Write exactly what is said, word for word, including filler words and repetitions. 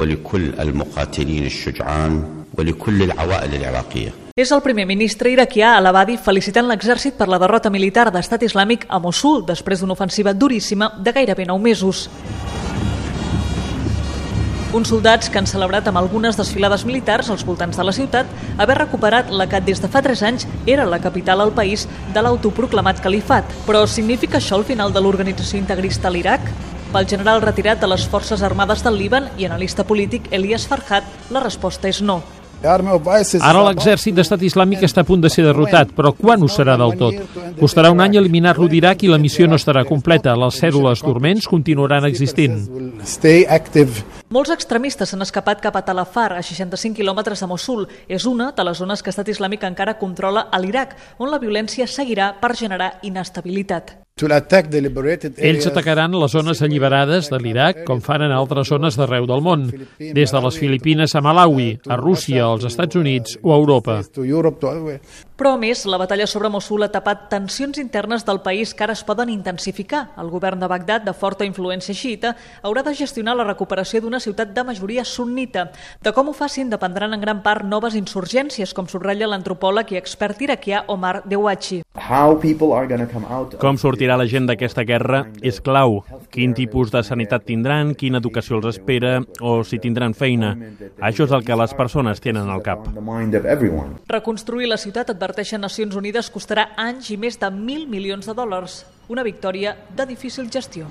ولكل المقاتلين الشجعان ولكل العوائل العراقية. És el primer ministre iraquià Al-Abadi felicitant l'exèrcit per la derrota militar d'Estat Islàmic a Mossul després d'una ofensiva duríssima de gairebé nou mesos. Uns soldats que han celebrat amb algunes desfilades militars als voltants de la ciutat haver recuperat la que des de fa tres anys era la capital al país de l'autoproclamat califat. Però significa això el final de l'organització integrista a l'Iraq? Pel general retirat de les Forces Armades del Líban i analista polític Elias Farhat, la resposta és no. Ara l'exèrcit d'Estat Islàmic està a punt de ser derrotat, però quan ho serà del tot? Costarà un any eliminar-lo d'Iraq i la missió no estarà completa. Les cèl·lules dorments continuaran existint. Molts extremistes s'han escapat cap a Tal Afar, a seixanta-cinc quilòmetres de Mossul. És una de les zones que Estat Islàmic encara controla a l'Iraq, on la violència seguirà per generar inestabilitat. Ells atacaran les zones alliberades de l'Iraq, com fan en altres zones d'arreu del món, des de les Filipines a Malawi, a Rússia, als Estats Units o a Europa. Però, a més, la batalla sobre Mossul ha tapat tensions internes del país que ara es poden intensificar. El govern de Bagdad, de forta influència xiïta, haurà de gestionar la recuperació d'una ciutat de majoria sunnita. De com ho facin dependran en gran part noves insurgències, com subratlla l'antropòleg i expert iraquià Omar Dewachi. Com sortirà la gent d'aquesta guerra és clau. Quin tipus de sanitat tindran, quina educació els espera o si tindran feina. Això és el que les persones tenen al cap. Reconstruir la ciutat, adverteixen Nacions Unides, costarà anys i més de mil milions de dòlars. Una victòria de difícil gestió.